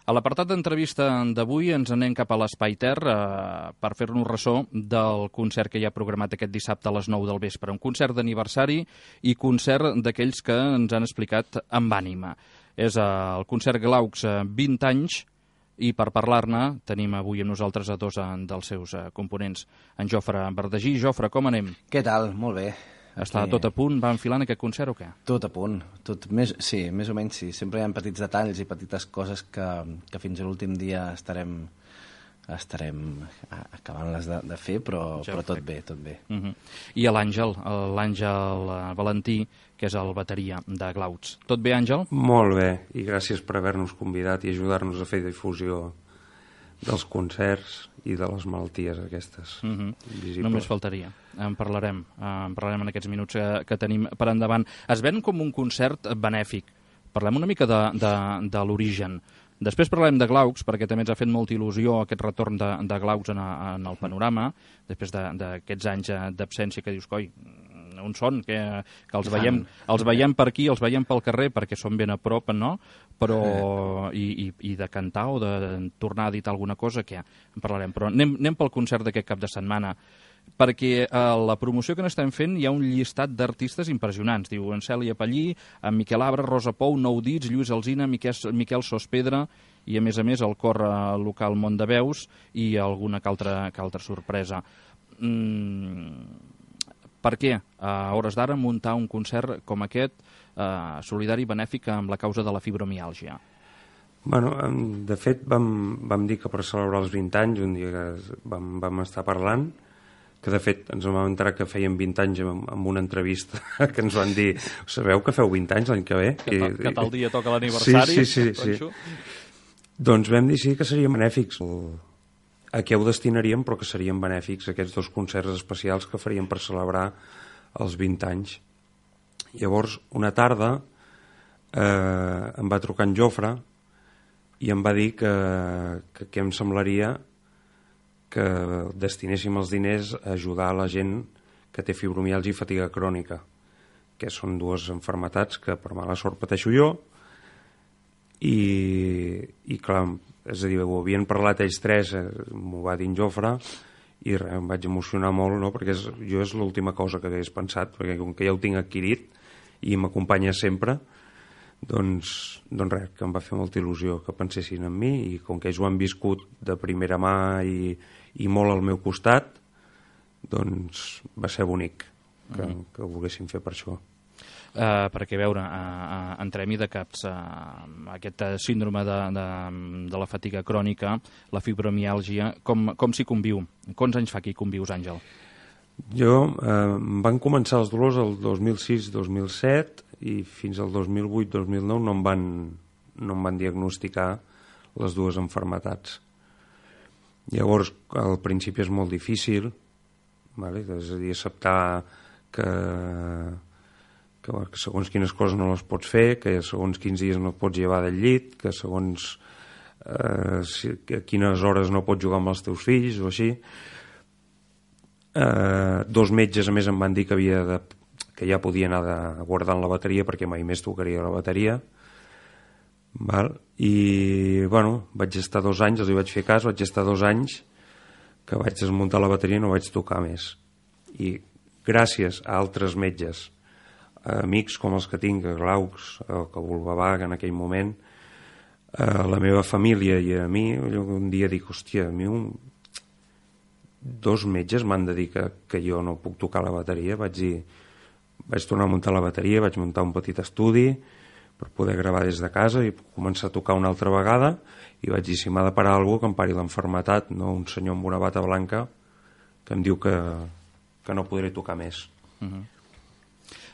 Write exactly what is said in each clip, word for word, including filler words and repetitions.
A l'apartat d'entrevista d'avui ens anem cap a l'Espai Ter eh, per fer-nos ressò del concert que hi ha programat aquest dissabte a les nou del vespre. Un concert d'aniversari i concert d'aquells que ens han explicat amb ànima. És eh, el concert Glaucs eh, vint anys, i per parlar-ne tenim avui amb nosaltres a dos eh, dels seus eh, components. En Jofre Verdagí. Jofre, com anem? Què tal? Molt bé. Està tot a punt? Va enfilant aquest concert o què? Tot a punt. Tot, més, sí, més o menys sí. Sempre hi ha petits detalls i petites coses que, que fins a l'últim dia estarem, estarem acabant-les de, de fer, però, ja però tot bé, tot bé. Uh -huh. I l'Àngel, l'Àngel Valentí, que és el bateria de Glaucs. Tot bé, Àngel? Molt bé, i gràcies per haver-nos convidat i ajudar-nos a fer difusió dels concerts i de les malalties aquestes. Uh -huh. Només faltaria. En parlarem, en parlarem en aquests minuts que, que tenim per endavant. Es ven com un concert benèfic. Parlem una mica de, de, de l'origen. Després parlem de Glaucs, perquè també ens ha fet molta il·lusió aquest retorn de, de Glaucs en, en el panorama, després d'aquests anys d'absència que dius, coi, on són? Que, que els, veiem, els veiem per aquí, els veiem pel carrer, perquè són ben a prop, no? Però, i, i, i de cantar o de tornar a editar alguna cosa, què? En parlarem. Però anem, anem pel concert d'aquest cap de setmana, perquè a la promoció que n'estem fent hi ha un llistat d'artistes impressionants. Diu en Cèlia Pallí, en Miquel Abra, Rosa Pou, Nou Dits, Lluís Alsina, Miquel, Miquel Sospedra i, a més a més, el cor local Mont de Veus i alguna que altra, que altra sorpresa. Mm, per què, a hores d'ara, muntar un concert com aquest, eh, solidari i benèfic amb la causa de la fibromiàlgia? Bueno, de fet, vam, vam dir que per celebrar els vint anys, un dia que vam, vam estar parlant, que de fet ens vam enterar que feien vint anys amb, amb una entrevista que ens van dir, sabeu que feu vint anys l'any que ve? Que, I, que tal dia toca l'aniversari? Sí, sí, sí, sí. Doncs vam dir sí que serien benèfics. A què ho destinaríem, però que serien benèfics aquests dos concerts especials que faríem per celebrar els vint anys. Llavors, una tarda eh, em va trucar en Jofre i em va dir que, que, que em semblaria que destinéssim els diners a ajudar a la gent que té fibromiàlgia i fatiga crònica, que són dues malalties que per mala sort pateixo jo, i, i clar, és a dir, ho havien parlat ells tres, eh, m'ho va dir en Jofre, i res, em vaig emocionar molt, no? Perquè és, jo és l'última cosa que hagués pensat, perquè com que ja ho tinc adquirit i m'acompanya sempre, doncs, doncs res, que em va fer molta il·lusió que pensessin en mi, i com que ells ho han viscut de primera mà i, i molt al meu costat, doncs va ser bonic que, mm. que ho volguessin fer per això. Uh, perquè, a veure, uh, uh, entrem-hi de caps, uh, aquest síndrome de, de, de la fatiga crònica, la fibromiàlgia, com, com s'hi conviu? Quants anys fa que hi convius, Àngel? Jo, eh, van començar els dolors el dos mil sis dos mil set i fins al dos mil vuit dos mil nou no em van, no em van diagnosticar les dues malalties. Llavors, al principi és molt difícil, vale? És a dir, acceptar que, que, que segons quines coses no les pots fer, que segons quins dies no pots llevar del llit, que segons eh, si, que a quines hores no pots jugar amb els teus fills o així. Eh, dos metges, a més, em van dir que, havia de, que ja podia anar de, guardant la bateria perquè mai més tocaria la bateria. Val? I, bueno, vaig estar dos anys, els hi vaig fer cas, vaig estar dos anys que vaig desmuntar la bateria i no vaig tocar més. I gràcies a altres metges, a amics com els que tinc, a Glaucs, a Bulbavac en aquell moment, a la meva família i a mi, un dia dic, hòstia, a mi un... dos metges m'han de dir que, que jo no puc tocar la bateria. Vaig dir, vaig tornar a muntar la bateria, vaig muntar un petit estudi per poder gravar des de casa i començar a tocar una altra vegada, i vaig dir, si m'ha de parar algú, que em pari l'enfermetat, no un senyor amb una bata blanca que em diu que, que no podré tocar més. Uh -huh.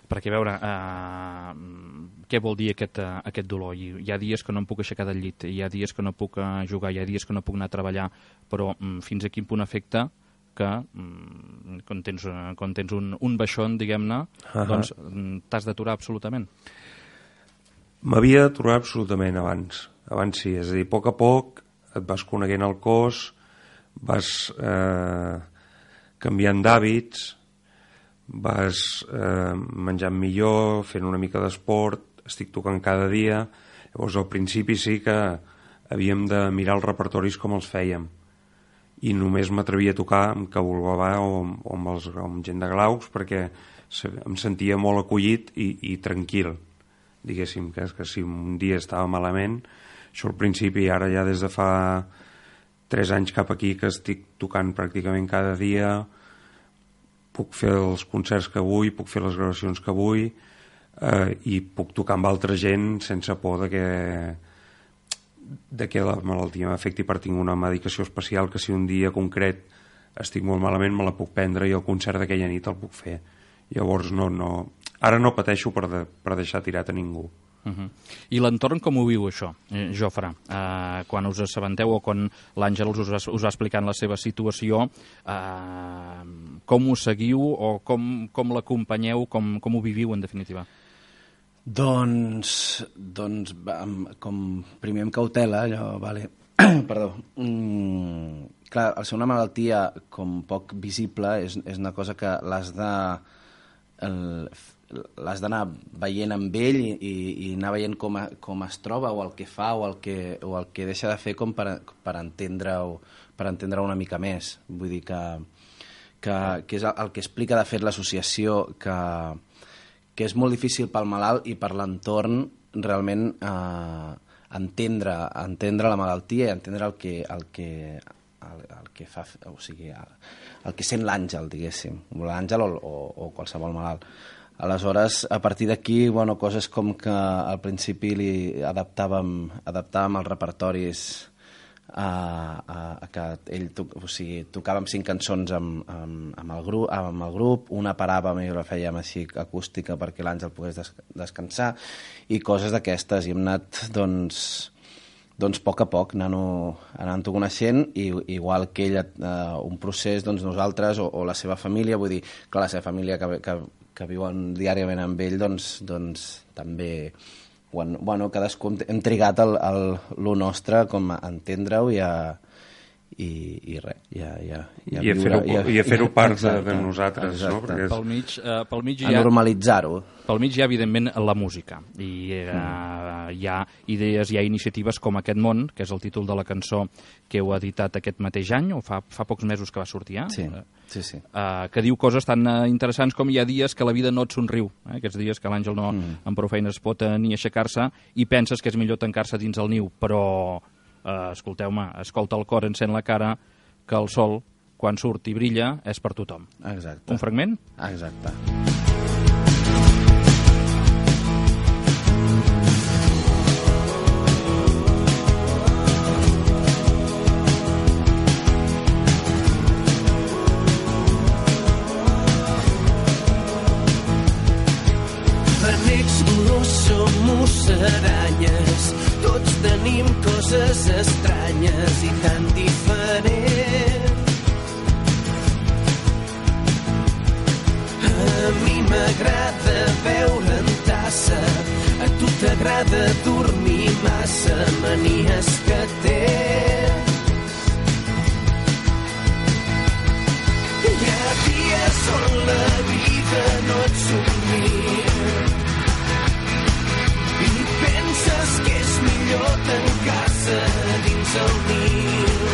Perquè, a veure, uh, què vol dir aquest, uh, aquest dolor? Hi, hi ha dies que no em puc aixecar del llit, hi ha dies que no puc uh, jugar, hi ha dies que no puc anar a treballar, però um, fins a quin punt afecta que um, quan tens, uh, quan tens un, un baixón, diguem-ne, uh-huh. doncs um, t'has d'aturar absolutament? M'havia d'aturar absolutament abans. Abans sí, és a dir, a poc a poc et vas coneguent el cos, vas eh, canviant d'hàbits, vas eh, menjant millor, fent una mica d'esport, estic tocant cada dia. Llavors al principi sí que havíem de mirar els repertoris com els fèiem, i només m'atrevia a tocar amb Cabulbabà o, o, amb els, o amb gent de Glaucs, perquè em sentia molt acollit i, i tranquil, diguéssim, que, que si un dia estava malament, això al principi, ara ja des de fa tres anys cap aquí que estic tocant pràcticament cada dia, puc fer els concerts que vull, puc fer les gravacions que vull, eh, i puc tocar amb altra gent sense por de que de que la malaltia m'afecti per tinc una medicació especial que si un dia concret estic molt malament me la puc prendre i el concert d'aquella nit el puc fer. Llavors no, no, ara no pateixo per, de, per deixar tirat a ningú. Uh-huh. I l'entorn com ho viu això, eh, Jofre? Eh, quan us assabenteu o quan l'Àngels us, us va explicant la seva situació, eh, com ho seguiu o com, com l'acompanyeu, com, com ho viviu en definitiva? Doncs, doncs com primer amb cautela, allò, vale, perdó, mm, clar, al ser una malaltia com poc visible és, és una cosa que l'has de el, l'has d'anar veient amb ell i, i, i anar veient com, a, com es troba o el que fa o el que, o el que deixa de fer com per, per entendre-ho per entendre una mica més. Vull dir que, que, que és el que explica de fet l'associació, que que és molt difícil pel malalt i per l'entorn realment eh, entendre, entendre la malaltia i entendre el que, el que, el, el que fa, o sigui, el, el que sent l'Àngel, diguéssim, l'Àngel o, o, o qualsevol malalt. Aleshores, a partir d'aquí, bueno, coses com que al principi li adaptàvem, adaptàvem els repertoris a, a, a que ell to, o sigui, tocàvem cinc cançons amb, amb, amb, el grup, amb el grup, una paràvem i la fèiem així acústica perquè l'Àngel pogués des, descansar i coses d'aquestes, i hem anat doncs, doncs a poc a poc anant-ho anant coneixent, i igual que ell eh, un procés, doncs nosaltres o, o la seva família, vull dir, clar, la seva família que, que, que viuen diàriament amb ell, doncs, doncs també quan, bueno, cadascú hem trigat el, el, el nostre com a entendre-ho i a, i, i res, i a, i a, i a, I a fer-ho fer part exacte, de, de nosaltres, exacte. No? Perquè és... Pel mig, uh, pel mig a ha, normalitzar-ho. Pel mig hi ha, evidentment, la música. I uh, mm. hi ha idees, hi ha iniciatives com Aquest món, que és el títol de la cançó que heu editat aquest mateix any, o fa, fa pocs mesos que va sortir, eh? Sí, sí, sí. Uh, que diu coses tan uh, interessants com hi ha dies que la vida no et somriu, eh? Aquests dies que l'Àngel no, mm. amb prou feines pot uh, ni aixecar-se, i penses que és millor tancar-se dins el niu, però... Uh, escolteu-me, escolta el cor, encén la cara, que el sol, quan surt i brilla, és per tothom. Exacte. Un fragment? Exacte. Benecs no som musaranyes, tots tenim coses estranyes i tan diferents. A mi m'agrada beure en tassa, a tu t'agrada dormir massa, manies que tens. Hi ha dies on la vida no et somria i penses que és millor tancar-se dins el niu.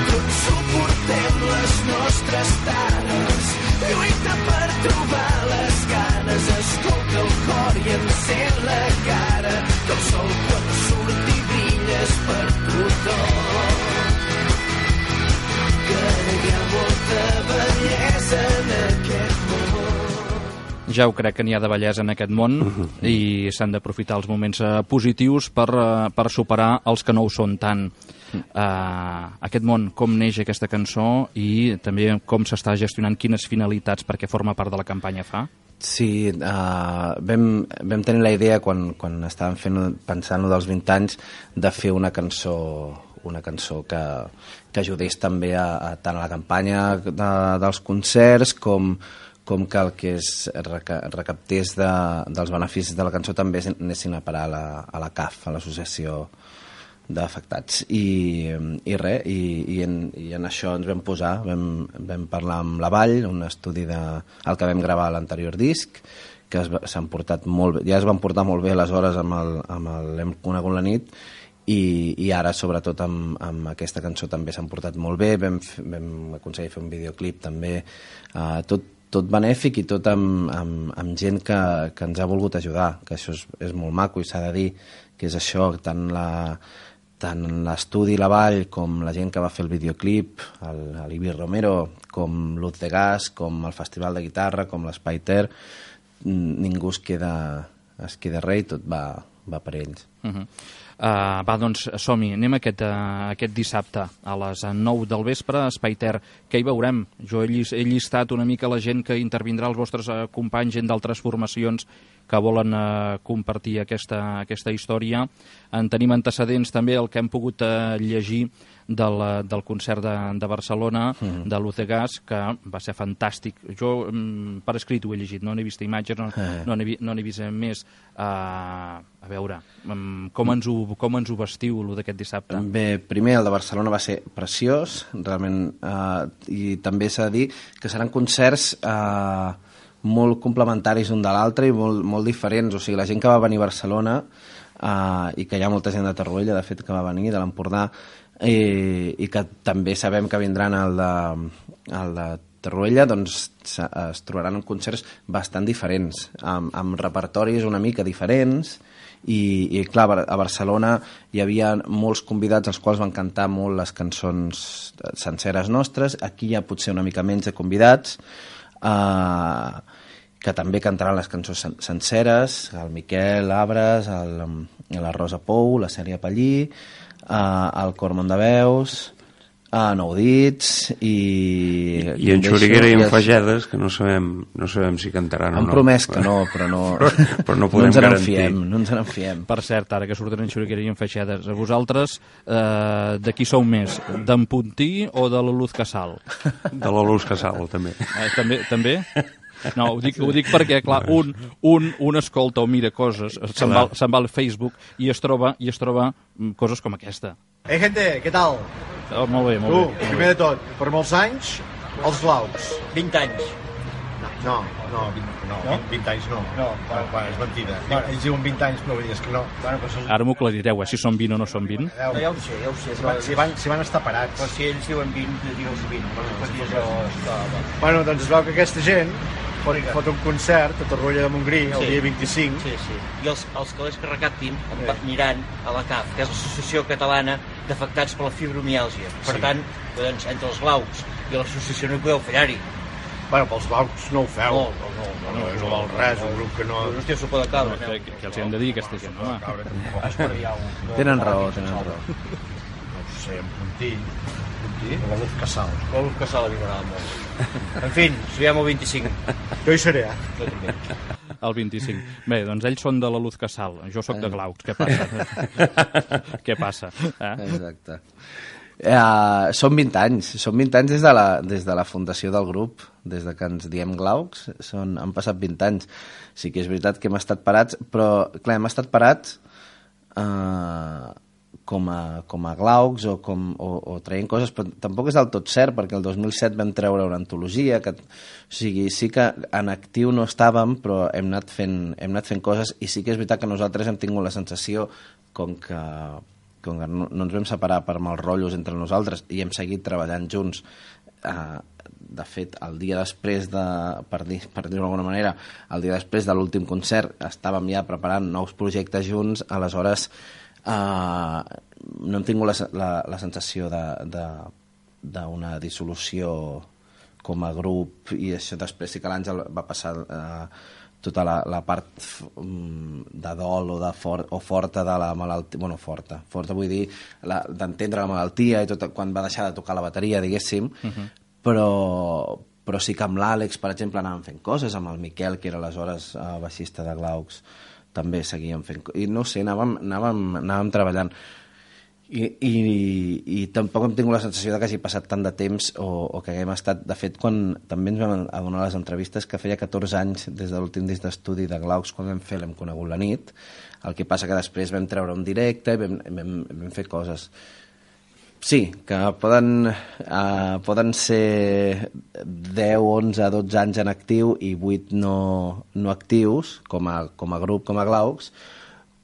Tots suportem les nostres tares, lluita per trobar les ganes, escolta el cor i encén la cara, que el sol quan surt i brilla és per tothom. Que hi ha molta bellesa en aquest món. Ja ho crec que n'hi ha de bellesa en aquest món i s'han d'aprofitar els moments uh, positius per, uh, per superar els que no ho són tant. Uh, aquest món, com neix aquesta cançó i també com s'està gestionant, quines finalitats perquè forma part de la campanya fa? Sí, uh, vam, vam tenir la idea quan, quan estàvem fent, pensant dels vint anys de fer una cançó una cançó que, que ajudés també a, a tant a la campanya de, dels concerts com com que el que es recaptés de, dels beneficis de la cançó també anessin a parar a la, a la C A F, a l'Associació d'Afectats. I, i res, i, i, en, i en això ens vam posar, vam, vam parlar amb la Vall, un estudi de, el que vam gravar a l'anterior disc, que s'han portat molt bé, ja es van portar molt bé aleshores amb el, amb el Hem conegut la nit, i, i ara sobretot amb, amb aquesta cançó també s'han portat molt bé, vam, vam aconseguir fer un videoclip també, uh, tot, tot benèfic i tot amb, amb, amb gent que, que ens ha volgut ajudar, que això és, és molt maco i s'ha de dir que és això, tant la tant l'estudi La Vall com la gent que va fer el videoclip, l'Ibi Romero, com Luz de Gas, com el Festival de Guitarra, com l'Espai Ter, ningú es queda, es queda rei, tot va, va per ells. Uh-huh. Uh, va, doncs som-hi, anem aquest, uh, aquest dissabte a les nou del vespre a Espai Ter. Què hi veurem? Jo he, llis, he llistat una mica la gent que intervindrà, els vostres uh, companys, gent d'altres formacions que volen uh, compartir aquesta, aquesta història. En tenim antecedents també, el que hem pogut uh, llegir del, del concert de, de Barcelona, mm. de Luz de Gas, que va ser fantàstic. Jo um, per escrit ho he llegit, no n'he vist imatges, no, eh. no n'he no vist més. Uh, a veure, um, com, ens ho, com ens ho vestiu, lo d'aquest dissabte? Bé, primer el de Barcelona va ser preciós, realment, uh, i també s'ha de dir que seran concerts uh, molt complementaris un de l'altre i molt, molt diferents. O sigui, la gent que va venir a Barcelona, uh, i que hi ha molta gent de Torroella, de fet, que va venir, de l'Empordà, i, i que també sabem que vindran al de, al de Torroella, doncs es trobaran en concerts bastant diferents, amb, amb repertoris una mica diferents, i, i clar, a Barcelona hi havia molts convidats als quals van cantar molt les cançons senceres nostres. Aquí hi ha potser una mica menys de convidats, uh, que també cantaran les cançons sen senceres, el Miquel Abres, el, la Rosa Pou, la Sèria Pallí, uh, el Cor Mondaveus, a Nou Dits i... I, i en Xuriguera i en Fagedes, que no sabem, no sabem si cantaran o no. Han promès que no, però no, però no podem no ens garantir. Fiem, no ens en fiem. Per cert, ara que surten en Xuriguera i en Fagedes, a vosaltres eh, de qui sou més? D'en Puntí o de la Luz Casal? De la Luz Casal, també. Eh, també? També? No, ho dic, ho dic perquè, clar, un, un, un escolta o mira coses, se'n va, se'n va al Facebook i es troba i es troba coses com aquesta. Hey, gente, què tal? Oh, molt bé, molt tu, bé. primer de tot, per molts anys, els Glaucs. vint anys. No, no, vint, no, no? vint anys no. No, bueno, bueno, és mentida. Bueno. Ells diuen vint anys, però és que no. Bueno, però són... Ara m'ho aclarireu, eh, si són vint o no són vint. No, ja ho sé, ja ho sé. Si van, si van, si van estar parats. Però si ells diuen vint, digues vint. Bueno, això... bueno, doncs es veu que aquesta gent fot, fot un concert a Torroella de Montgrí el sí. dia vint-i-cinc. Sí, sí. I els, els calés que recaptin sí. aniran a la C A F, que és l'Associació Catalana d'Afectats per la Fibromiàlgia. Per sí. tant, doncs, entre els Glaucs i l'associació no hi podeu fallar-hi. Bueno, pels Glaucs no ho feu. No, no, no. No, no, no val res, un grup que no... No estiu s'ho poden caure. No, què, què els hem de dir, aquesta gent, home? Tenen raó, tenen raó. No ho sé, en Puntí. Puntí? La Luz Casal. La Luz Casal a mi m'agrada molt. En fi, ens veiem el vint-i-cinc. Jo hi seré, eh? Jo també. El vint-i-cinc. Bé, doncs ells són de la Luz Casal, jo sóc de Glaucs, què passa? Què passa? Eh? Exacte. Uh, són vint anys, són vint anys des de, la, des de la fundació del grup, des de que ens diem Glaucs, són, han passat vint anys. Sí que és veritat que hem estat parats, però clar, hem estat parats uh, com, a, com a Glaucs o, com, o, o traient coses, però tampoc és del tot cert, perquè el dos mil set vam treure una antologia, que, o sigui, sí que en actiu no estàvem, però hem anat fent, hem anat fent coses, i sí que és veritat que nosaltres hem tingut la sensació com que com que no, no ens vam separar per mals rotllos entre nosaltres i hem seguit treballant junts. Uh, de fet, el dia després de, per dir, per dir-ho d'alguna manera, el dia després de l'últim concert estàvem ja preparant nous projectes junts, aleshores uh, no hem tingut la, la, la sensació d'una dissolució com a grup, i això després sí que l'Àngel va passar uh, tota la, la part de dol o, de for, o forta de la malaltia, bueno, forta, forta vull dir, d'entendre la, la malaltia i tot, quan va deixar de tocar la bateria, diguéssim, uh -huh. però, però sí que amb l'Àlex, per exemple, anàvem fent coses, amb el Miquel, que era aleshores uh, baixista de Glaucs, també seguíem fent coses, i no sé, anàvem, anàvem, anàvem treballant. I, i, i tampoc hem tingut la sensació de que hagi passat tant de temps o, o que haguem estat... De fet, quan també ens vam adonar a les entrevistes que feia catorze anys des de l'últim disc d'estudi de Glaucs, quan vam fer L'hem conegut la nit, el que passa que després vam treure un directe i vam, vam, vam fer coses. Sí, que poden, uh, poden ser deu, onze, dotze anys en actiu i vuit no, no actius, com a, com a grup, com a Glaucs,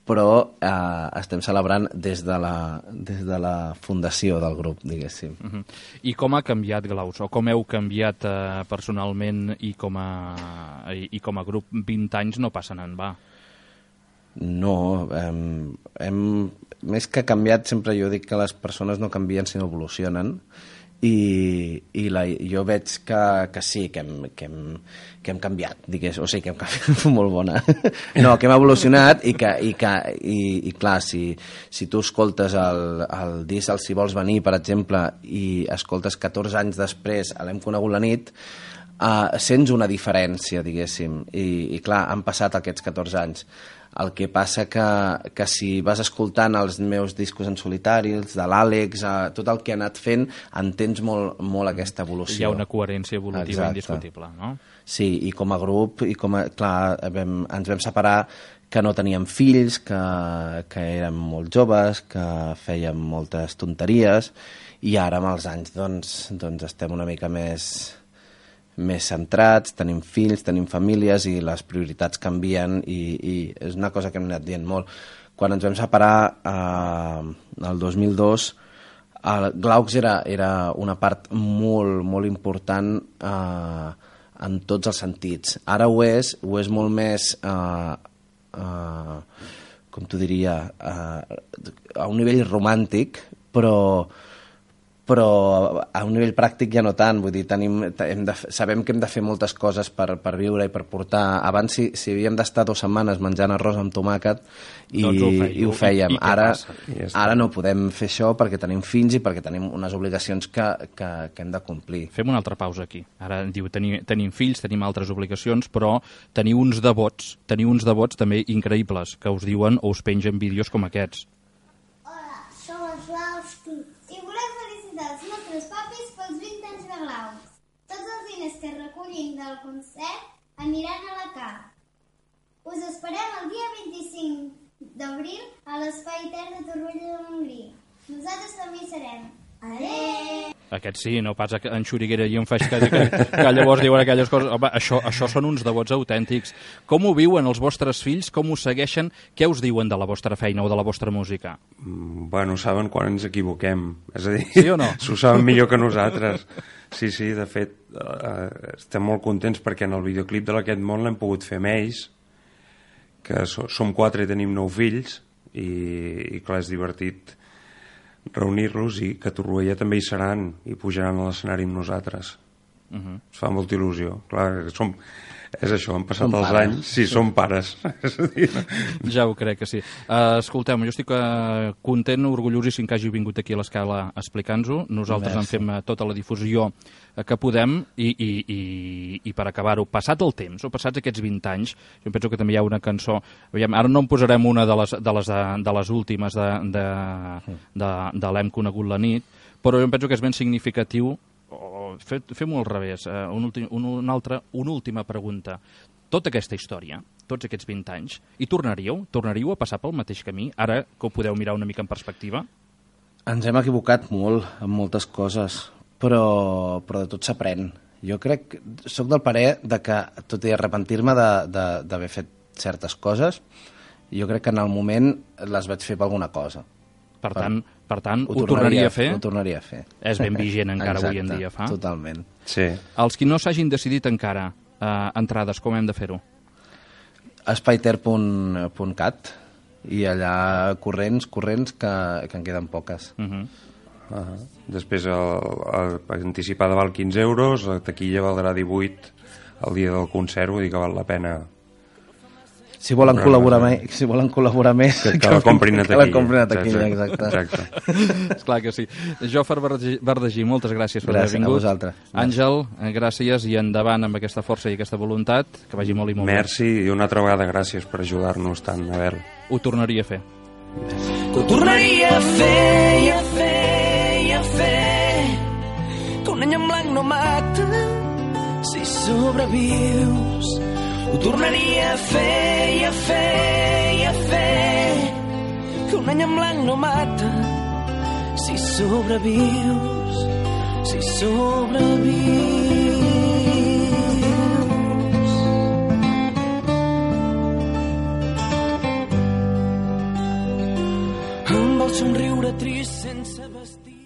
però eh, estem celebrant des de, la, des de la fundació del grup, diguéssim. Uh-huh. I com ha canviat Glaus, o com heu canviat eh, personalment i com, a, i, i com a grup? vint anys no passen en va. No, hem, hem, més que canviat, sempre jo dic que les persones no canvien sinó evolucionen, i, i la, jo veig que, que sí, que hem, que hem, que hem canviat, digués, o sigui, que hem canviat molt bona. No, que hem evolucionat i que, i, que, i, i clar, si, si tu escoltes el, el disc el Si vols venir, per exemple, i escoltes catorze anys després a l'Hem conegut la nit, uh, sents una diferència, diguéssim, i, i clar, han passat aquests catorze anys. El que passa que, que si vas escoltant els meus discos en solitari, els de l'Àlex, eh, tot el que ha anat fent, entens molt, molt aquesta evolució. Hi ha una coherència evolutiva. Exacte. Indiscutible, no? Sí, i com a grup, i com a, clar, vam, ens vam separar que no teníem fills, que, que érem molt joves, que fèiem moltes tonteries, i ara amb els anys doncs, doncs estem una mica més... més centrats, tenim fills, tenim famílies i les prioritats canvien i, i és una cosa que hem anat dient molt. Quan ens vam separar eh, el dos mil dos, el Glaucs era, era una part molt, molt important eh, en tots els sentits. Ara ho és, ho és molt més, eh, eh, com t'ho diria, eh, a un nivell romàntic, però... però a un nivell pràctic ja no tant, vull dir, tenim, hem de, sabem que hem de fer moltes coses per, per viure i per portar. Abans si, si havíem d'estar dues setmanes menjant arròs amb tomàquet i, doncs ho, fèieu, i ho fèiem. I, i ara, ja ara no podem fer això perquè tenim fills i perquè tenim unes obligacions que, que, que hem de complir. Fem una altra pausa aquí. Ara diu, tenim, tenim fills, tenim altres obligacions, però teniu uns devots, teniu uns devots també increïbles que us diuen o us pengen vídeos com aquests. Hola, som els Glaus i volem felicitar els nostres papis pels vint anys de Glaus. Tots els diners que recollim del concert aniran a la C A R. Us esperem el dia vint-i-cinc d'abril a l'Espai Ter de Torroella de Montgrí. Nosaltres també hi serem. Adéu! Aquest sí, no pas en Xuriguera i en Feix, que, que, que llavors diuen aquelles coses. Home, això, això són uns devots autèntics. Com ho viuen els vostres fills? Com us segueixen? Què us diuen de la vostra feina o de la vostra música? Mm, bueno, saben quan ens equivoquem. És a dir, sí o no? S'ho saben millor que nosaltres. Sí, sí, de fet, eh, estem molt contents perquè en el videoclip de l'Aquest món l'hem pogut fer amb ells, que so, som quatre i tenim nou fills, i, i clar, és divertit reunir-los i que a Torroella també hi seran i pujaran a l'escenari amb nosaltres. Uh-huh. Es fa molta il·lusió. Clar, som, és això, han passat som els pares. Anys. Sí, som pares. Ja ho crec que sí. Uh, escolteu, jo estic uh, content, orgullosíssim que hagi vingut aquí a l'Escala a explicar-nos-ho. Nosaltres Merci. En fem uh, tota la difusió uh, que podem i, i, i, i per acabar-ho, passat el temps, o passats aquests vint anys, jo penso que també hi ha una cançó, aviam, ara no en posarem una de les, de les, de les últimes de, de, de, de l'Hem conegut la nit, però jo penso que és ben significatiu. Fem-ho al revés. Uh, un ultim, un, un altre, una última pregunta. Tota aquesta història, tots aquests vint anys, hi tornaríeu? Tornaríeu a passar pel mateix camí, ara que ho podeu mirar una mica en perspectiva? Ens hem equivocat molt en moltes coses, però, però de tot s'aprèn. Jo crec, soc del parer de que, tot i arrepentir-me d'haver fet certes coses, jo crec que en el moment les vaig fer per alguna cosa. Per tant, per tant ho, ho tornaria a fer? Ho tornaria a fer. És ben vigent encara Exacte, avui en dia, fa? Totalment. Sí. Els qui no s'hagin decidit encara, eh, entrades, com hem de fer-ho? Espaiter punt cat i allà corrents, corrents, que, que en queden poques. Uh -huh. Uh -huh. Després el, el, anticipada val quinze euros, la taquilla valdrà divuit el dia del concert, vull dir que val la pena. Si volen, col·laborar més, si volen col·laborar més, que, que la comprin a taquilla. Que la comprin a taquilla, exacte. exacte. Esclar que sí. Jofre Bardagí, moltes gràcies per haver vingut. Gràcies a vosaltres. Àngel, gràcies i endavant amb aquesta força i aquesta voluntat, que vagi molt i molt bé. Merci i una altra vegada gràcies per ajudar-nos tant, Abel. Ho tornaria a fer. Que ho tornaria a fer i a fer i a fer, que un any en blanc no mata si sobrevius. Ho tornaria a fer i a fer i a fer, que un any en blanc no mata si sobrevius, si sobrevius. somriure trist sense vestir.